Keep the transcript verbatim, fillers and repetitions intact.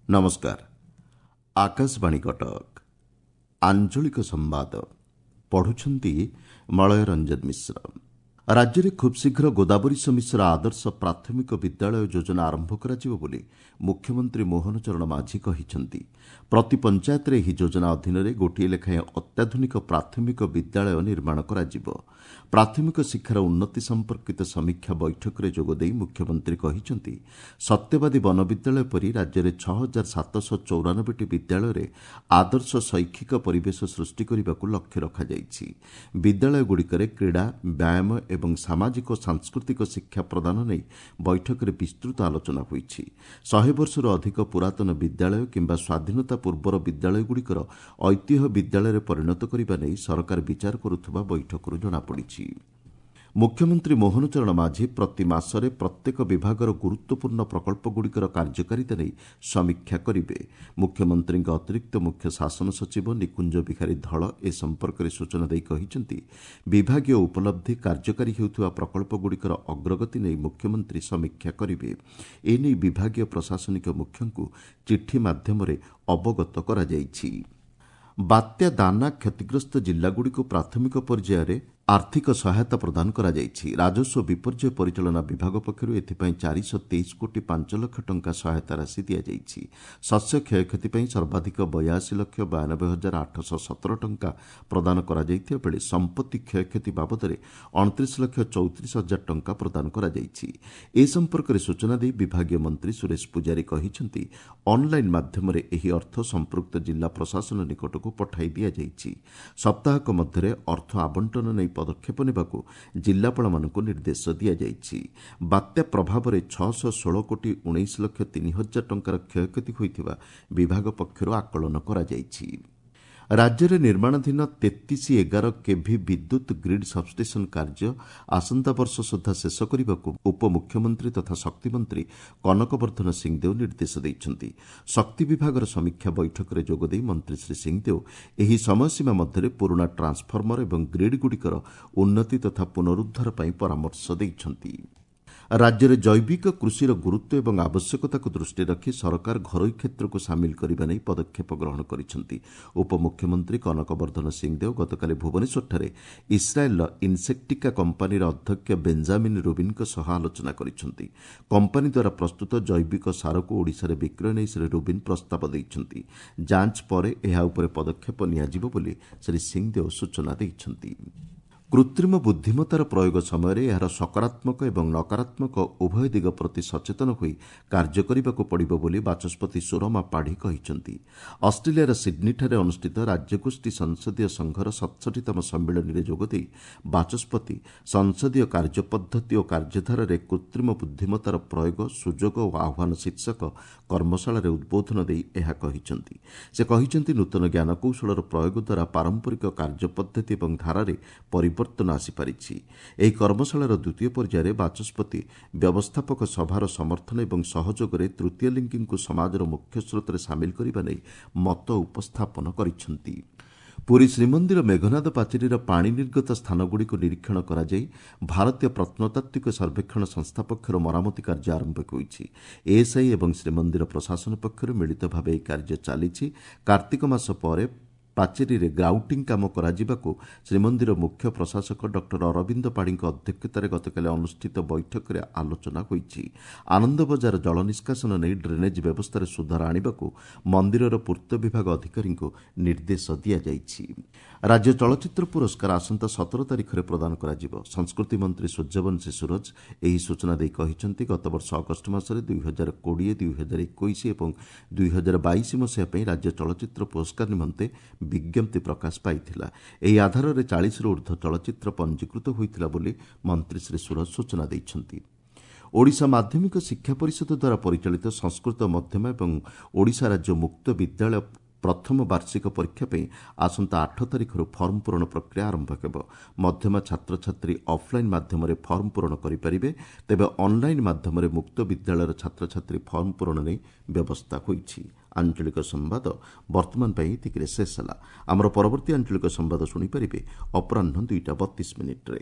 ନମସ୍କାର ଆକାଶବାଣୀ କଟକ ଆଞ୍ଚଳିକ ସମ୍ବାଦ ପଢୁଛନ୍ତି ମଳୟ ରଞ୍ଜନ ମିଶ୍ର ରାଜ୍ୟରେ ଖୁବ୍ଶୀଘ୍ର ଗୋଦାବରୀଶ ମିଶ୍ର ଆଦର୍ଶ ପ୍ରାଥମିକ ବିଦ୍ୟାଳୟ ଯୋଜନା ଆରମ୍ଭ କରାଯିବ ବୋଲି ମୁଖ୍ୟମନ୍ତ୍ରୀ ମୋହନ ଚରଣ ମାଝୀ କହିଛନ୍ତି ପ୍ରତି ପଞ୍ଚାୟତରେ ଏହି ଯୋଜନା ଅଧୀନରେ ଗୋଟିଏ ଲେଖାଏଁ ଅତ୍ୟାଧୁନିକ ପ୍ରାଥମିକ ବିଦ୍ୟାଳୟ ନିର୍ମାଣ କରାଯିବ ପ୍ରାଥମିକ ଶିକ୍ଷାର ଉନ୍ନତି ସମ୍ପର୍କିତ ସମୀକ୍ଷା ବୈଠକରେ ଯୋଗଦେଇ ମୁଖ୍ୟମନ୍ତ୍ରୀ କହିଛନ୍ତି ସତ୍ୟବାଦୀ ବନବିଦ୍ୟାଳୟ ପରି ରାଜ୍ୟରେ ଛଅ ହଜାର ସାତଶହ ଚଉରାନବେଟି ବିଦ୍ୟାଳୟରେ ଆଦର୍ଶ ଶୈକ୍ଷିକ ପରିବେଶ ସୃଷ୍ଟି କରିବାକୁ ଲକ୍ଷ୍ୟ ରଖାଯାଇଛି ବିଦ୍ୟାଳୟଗୁଡ଼ିକରେ କ୍ରୀଡ଼ା ବ୍ୟାୟାମ ଏବଂ ସାମାଜିକ ଓ ସାଂସ୍କୃତିକ ଶିକ୍ଷା ପ୍ରଦାନ ନେଇ ବୈଠକରେ ବିସ୍ତୃତ ଆଲୋଚନା ହୋଇଛି ଶହେ ବର୍ଷରୁ ଅଧିକ ପୁରାତନ ବିଦ୍ୟାଳୟ କିମ୍ବା ସ୍ୱାଧୀନତା ପୂର୍ବର ବିଦ୍ୟାଳୟଗୁଡ଼ିକର ଐତିହ୍ୟ ବିଦ୍ୟାଳୟରେ ପରିଣତ କରିବା ନେଇ ସରକାର ବିଚାର କରୁଥିବା ବୈଠକରୁ ଜଣାପଡ଼ିଛି ମୁଖ୍ୟମନ୍ତ୍ରୀ ମୋହନ ଚରଣ ମାଝୀ ପ୍ରତି ମାସରେ ପ୍ରତ୍ୟେକ ବିଭାଗର ଗୁରୁତ୍ୱପୂର୍ଣ୍ଣ ପ୍ରକଳ୍ପଗୁଡ଼ିକର କାର୍ଯ୍ୟକାରିତା ନେଇ ସମୀକ୍ଷା କରିବେ ମୁଖ୍ୟମନ୍ତ୍ରୀଙ୍କ ଅତିରିକ୍ତ ମୁଖ୍ୟ ଶାସନ ସଚିବ ନିକୁଞ୍ଜ ବିହାରୀ ଧଳ ଏ ସମ୍ପର୍କରେ ସୂଚନା ଦେଇ କହିଛନ୍ତି ବିଭାଗୀୟ ଉପଲବ୍ଧି କାର୍ଯ୍ୟକାରୀ ହେଉଥିବା ପ୍ରକଳ୍ପଗୁଡ଼ିକର ଅଗ୍ରଗତି ନେଇ ମୁଖ୍ୟମନ୍ତ୍ରୀ ସମୀକ୍ଷା କରିବେ ଏନେଇ ବିଭାଗୀୟ ପ୍ରଶାସନିକ ମୁଖ୍ୟଙ୍କୁ ଚିଠି ମାଧ୍ୟମରେ ଅବଗତ କରାଯାଇଛି ବାତ୍ୟା ଦାନା କ୍ଷତିଗ୍ରସ୍ତ ଜିଲ୍ଲାଗୁଡ଼ିକୁ ପ୍ରାଥମିକ ପର୍ଯ୍ୟାୟରେ ଆର୍ଥିକ ସହାୟତା ପ୍ରଦାନ କରାଯାଇଛି ରାଜସ୍ୱ ବିପର୍ଯ୍ୟୟ ପରିଚାଳନା ବିଭାଗ ପକ୍ଷରୁ ଏଥିପାଇଁ ଚାରିଶହ ତେଇଶ କୋଟି ପାଞ୍ଚ ଲକ୍ଷ ଟଙ୍କା ସହାୟତା ରାଶି ଦିଆଯାଇଛି ଶସ୍ୟ କ୍ଷୟକ୍ଷତି ପାଇଁ ସର୍ବାଧିକ ବୟାଅଶୀ ଲକ୍ଷ ବୟାନବେ ହଜାର ଆଠଶହ ସତର ଟଙ୍କା ପ୍ରଦାନ କରାଯାଇଥିବା ବେଳେ ସମ୍ପତ୍ତି କ୍ଷୟକ୍ଷତି ବାବଦରେ ଅଣତିରିଶ ଲକ୍ଷ ଚଉତିରିଶ ହଜାର ଟଙ୍କା ପ୍ରଦାନ କରାଯାଇଛି ଏ ସମ୍ପର୍କରେ ସୂଚନା ଦେଇ ବିଭାଗୀୟ ମନ୍ତ୍ରୀ ସୁରେଶ ପୂଜାରୀ କହିଛନ୍ତି ଅନ୍ଲାଇନ୍ ମାଧ୍ୟମରେ ଏହି ଅର୍ଥ ସମ୍ପୃକ୍ତ ଜିଲ୍ଲା ପ୍ରଶାସନ ନିକଟକୁ ପଠାଇ ଦିଆଯାଇଛି ସପ୍ତାହକ ମଧ୍ୟରେ ଅର୍ଥ ଆବଣ୍ଟନ ନେଇ ପଦକ୍ଷେପ ନେବାକୁ ଜିଲ୍ଲାପାଳମାନଙ୍କୁ ନିର୍ଦ୍ଦେଶ ଦିଆଯାଇଛି ବାତ୍ୟା ପ୍ରଭାବରେ ଛଅଶହ ଷୋହଳ କୋଟି ଉଣେଇଶ ଲକ୍ଷ ତିନି ହଜାର ଟଙ୍କାର କ୍ଷୟକ୍ଷତି ହୋଇଥିବା ବିଭାଗ ପକ୍ଷରୁ ଆକଳନ କରାଯାଇଛି ରାଜ୍ୟରେ ନିର୍ମାଣାଧୀନ ତେତିଶ ଏଗାର କେଭି ବିଦ୍ୟୁତ୍ ଗ୍ରୀଡ୍ ସବ୍ଷ୍ଟେସନ୍ କାର୍ଯ୍ୟ ଆସନ୍ତା ବର୍ଷ ସୁଦ୍ଧା ଶେଷ କରିବାକୁ ଉପମୁଖ୍ୟମନ୍ତ୍ରୀ ତଥା ଶକ୍ତିମନ୍ତ୍ରୀ କନକବର୍ଦ୍ଧନ ସିଂଦେଓ ନିର୍ଦ୍ଦେଶ ଦେଇଛନ୍ତି ଶକ୍ତି ବିଭାଗର ସମୀକ୍ଷା ବୈଠକରେ ଯୋଗଦେଇ ମନ୍ତ୍ରୀ ଶ୍ରୀ ସିଂଦେଓ ଏହି ସମୟସୀମା ମଧ୍ୟରେ ପୁରୁଣା ଟ୍ରାନ୍ସଫର୍ମର ଏବଂ ଗ୍ରୀଡ୍ଗୁଡ଼ିକର ଉନ୍ନତି ତଥା ପୁନରୁଦ୍ଧାର ପାଇଁ ପରାମର୍ଶ ଦେଇଛନ୍ତି ରାଜ୍ୟରେ ଜୈବିକ କୃଷିର ଗୁରୁତ୍ୱ ଏବଂ ଆବଶ୍ୟକତାକୁ ଦୃଷ୍ଟିରେ ରଖି ସରକାର ଘରୋଇ କ୍ଷେତ୍ରକୁ ସାମିଲ କରିବା ନେଇ ପଦକ୍ଷେପ ଗ୍ରହଣ କରିଛନ୍ତି ଉପମୁଖ୍ୟମନ୍ତ୍ରୀ କନକବର୍ଦ୍ଧନ ସିଂଦେଓ ଗତକାଲି ଭୁବନେଶ୍ୱରଠାରେ ଇସ୍ରାଏଲ୍ର ଇନ୍ସେକ୍ଟିକା କମ୍ପାନୀର ଅଧ୍ୟକ୍ଷ ବେଞ୍ଜାମିନ୍ ରୁବିନ୍ଙ୍କ ସହ ଆଲୋଚନା କରିଛନ୍ତି କମ୍ପାନୀ ଦ୍ୱାରା ପ୍ରସ୍ତୁତ ଜୈବିକ ସାରକୁ ଓଡ଼ିଶାରେ ବିକ୍ରୟ ନେଇ ଶ୍ରୀ ରୁବିନ୍ ପ୍ରସ୍ତାବ ଦେଇଛନ୍ତି ଯାଞ୍ଚ ପରେ ଏହା ଉପରେ ପଦକ୍ଷେପ ନିଆଯିବ ବୋଲି ଶ୍ରୀ ସିଂଦେଓ ସୂଚନା ଦେଇଛନ୍ତି କୃତ୍ରିମ ବୁଦ୍ଧିମତ୍ତାର ପ୍ରୟୋଗ ସମୟରେ ଏହାର ସକାରାତ୍ମକ ଏବଂ ନକାରାତ୍ମକ ଉଭୟ ଦିଗ ପ୍ରତି ସଚେତନ ହୋଇ କାର୍ଯ୍ୟ କରିବାକୁ ପଡ଼ିବ ବୋଲି ବାଚସ୍ପତି ସୁରମା ପାଢ଼ୀ କହିଛନ୍ତି ଅଷ୍ଟ୍ରେଲିଆର ସିଡ୍ନୀଠାରେ ଅନୁଷ୍ଠିତ ରାଜ୍ୟଗୋଷ୍ଠୀ ସଂସଦୀୟ ସଂଘର ସତଷଠିତମ ସମ୍ମିଳନୀରେ ଯୋଗଦେଇ ବାଚସ୍ପତି ସଂସଦୀୟ କାର୍ଯ୍ୟପଦ୍ଧତି ଓ କାର୍ଯ୍ୟଧାରାରେ କୃତ୍ରିମ ବୁଦ୍ଧିମତ୍ତାର ପ୍ରୟୋଗ ସୁଯୋଗ ଓ ଆହ୍ୱାନ ଶୀର୍ଷକ କର୍ମଶାଳାରେ ଉଦ୍ବୋଧନ ଦେଇ ଏହା କହିଛନ୍ତି ସେ କହିଛନ୍ତି ନୂତନ ଜ୍ଞାନକୌଶଳର ପ୍ରୟୋଗ ଦ୍ୱାରା ପାରମ୍ପରିକ କାର୍ଯ୍ୟପଦ୍ଧତି ଏବଂ ଧାରାରେ ପରିବର୍ତ୍ତନ ଆସିପାରିଛି ଏହି କର୍ମଶାଳାର ଦ୍ୱିତୀୟ ପର୍ଯ୍ୟାୟରେ ବାଚସ୍ପତି ବ୍ୟବସ୍ଥାପକ ସଭାର ସମର୍ଥନ ଏବଂ ସହଯୋଗରେ ତୃତୀୟ ଲିଙ୍ଗୀଙ୍କୁ ସମାଜର ମୁଖ୍ୟସ୍ରୋତରେ ସାମିଲ କରିବା ନେଇ ମତ ଉପସ୍ଥାପନ କରିଛନ୍ତି ପୁରୀ ଶ୍ରୀମନ୍ଦିର ମେଘନାଦ ପାଚେରୀର ପାଣି ନିର୍ଗତ ସ୍ଥାନଗୁଡ଼ିକୁ ନିରୀକ୍ଷଣ କରାଯାଇ ଭାରତୀୟ ପ୍ରତ୍ନତାତ୍ତ୍ୱିକ ସର୍ବେକ୍ଷଣ ସଂସ୍ଥା ପକ୍ଷରୁ ମରାମତି କାର୍ଯ୍ୟ ଆରମ୍ଭ ହୋଇଛି ଏଏସ୍ଆଇ ଏବଂ ଶ୍ରୀମନ୍ଦିର ପ୍ରଶାସନ ପକ୍ଷରୁ ମିଳିତ ଭାବେ ଏହି କାର୍ଯ୍ୟ ଚାଲିଛି କାର୍ତ୍ତିକ ମାସ ପରେ ପାଚେରୀରେ ଗ୍ରାଉଟିଂ କାମ କରାଯିବାକୁ ଶ୍ରୀମନ୍ଦିର ମୁଖ୍ୟ ପ୍ରଶାସକ ଡକ୍ଟର ଅରବିନ୍ଦ ପାଢ଼ୀଙ୍କ ଅଧ୍ୟକ୍ଷତାରେ ଗତକାଲି ଅନୁଷ୍ଠିତ ବୈଠକରେ ଆଲୋଚନା ହୋଇଛି ଆନନ୍ଦ ବଜାର ଜଳ ନିଷ୍କାସନ ନେଇ ଡ୍ରେନେଜ୍ ବ୍ୟବସ୍ଥାରେ ସୁଧାର ଆଣିବାକୁ ମନ୍ଦିରର ପୂର୍ତ୍ତ ବିଭାଗ ଅଧିକାରୀଙ୍କୁ ନିର୍ଦ୍ଦେଶ ଦିଆଯାଇଛି ରାଜ୍ୟ ଚଳଚ୍ଚିତ୍ର ପୁରସ୍କାର ଆସନ୍ତା ସତର ତାରିଖରେ ପ୍ରଦାନ କରାଯିବ ସଂସ୍କୃତି ମନ୍ତ୍ରୀ ସୂର୍ଯ୍ୟବଂଶୀ ସୂରଜ ଏହି ସୂଚନା ଦେଇ କହିଛନ୍ତି ଗତବର୍ଷ ଅଗଷ୍ଟ ମାସରେ ଦୁଇ ହଜାର କୋଡ଼ିଏ ଦୁଇ ହଜାର ଏକୋଇଶ ଏବଂ ଦୁଇ ହଜାର ବାଇଶ ମସିହା ପାଇଁ ରାଜ୍ୟ ଚଳଚ୍ଚିତ୍ର ପୁରସ୍କାର ନିମନ୍ତେ ବିଜ୍ଞପ୍ତି ପ୍ରକାଶ ପାଇଥିଲା ଏହି ଆଧାରରେ ଚାଳିଶରୁ ଉର୍ଦ୍ଧ୍ୱ ଚଳଚ୍ଚିତ୍ର ପଞ୍ଜୀକୃତ ହୋଇଥିଲା ବୋଲି ମନ୍ତ୍ରୀ ଶ୍ରୀ ସୁରଜ ସୂଚନା ଦେଇଛନ୍ତି ଓଡ଼ିଶା ମାଧ୍ୟମିକ ଶିକ୍ଷା ପରିଷଦ ଦ୍ୱାରା ପରିଚାଳିତ ସଂସ୍କୃତ ମଧ୍ୟମା ଏବଂ ଓଡ଼ିଶା ରାଜ୍ୟ ମୁକ୍ତ ବିଦ୍ୟାଳୟ ପ୍ରଥମ ବାର୍ଷିକ ପରୀକ୍ଷା ପାଇଁ ଆସନ୍ତା ଆଠ ତାରିଖରୁ ଫର୍ମ ପୂରଣ ପ୍ରକ୍ରିୟା ଆରମ୍ଭ ହେବ ମଧ୍ୟମା ଛାତ୍ରଛାତ୍ରୀ ଅଫ୍ଲାଇନ୍ ମାଧ୍ୟମରେ ଫର୍ମ ପୂରଣ କରିପାରିବେ ତେବେ ଅନ୍ଲାଇନ୍ ମାଧ୍ୟମରେ ମୁକ୍ତ ବିଦ୍ୟାଳୟର ଛାତ୍ରଛାତ୍ରୀ ଫର୍ମ ପୂରଣ ନେଇ ବ୍ୟବସ୍ଥା ହୋଇଛି ଆଞ୍ଚଳିକ ସମ୍ବାଦ ବର୍ତ୍ତମାନ ପାଇଁ ଏତିକିରେ ଶେଷ ହେଲା ଆମର ପରବର୍ତ୍ତୀ ଆଞ୍ଚଳିକ ସମ୍ବାଦ ଶୁଣିପାରିବେ ଅପରାହ୍ନ ଦୁଇଟା ବତିଶ ମିନିଟ୍ରେ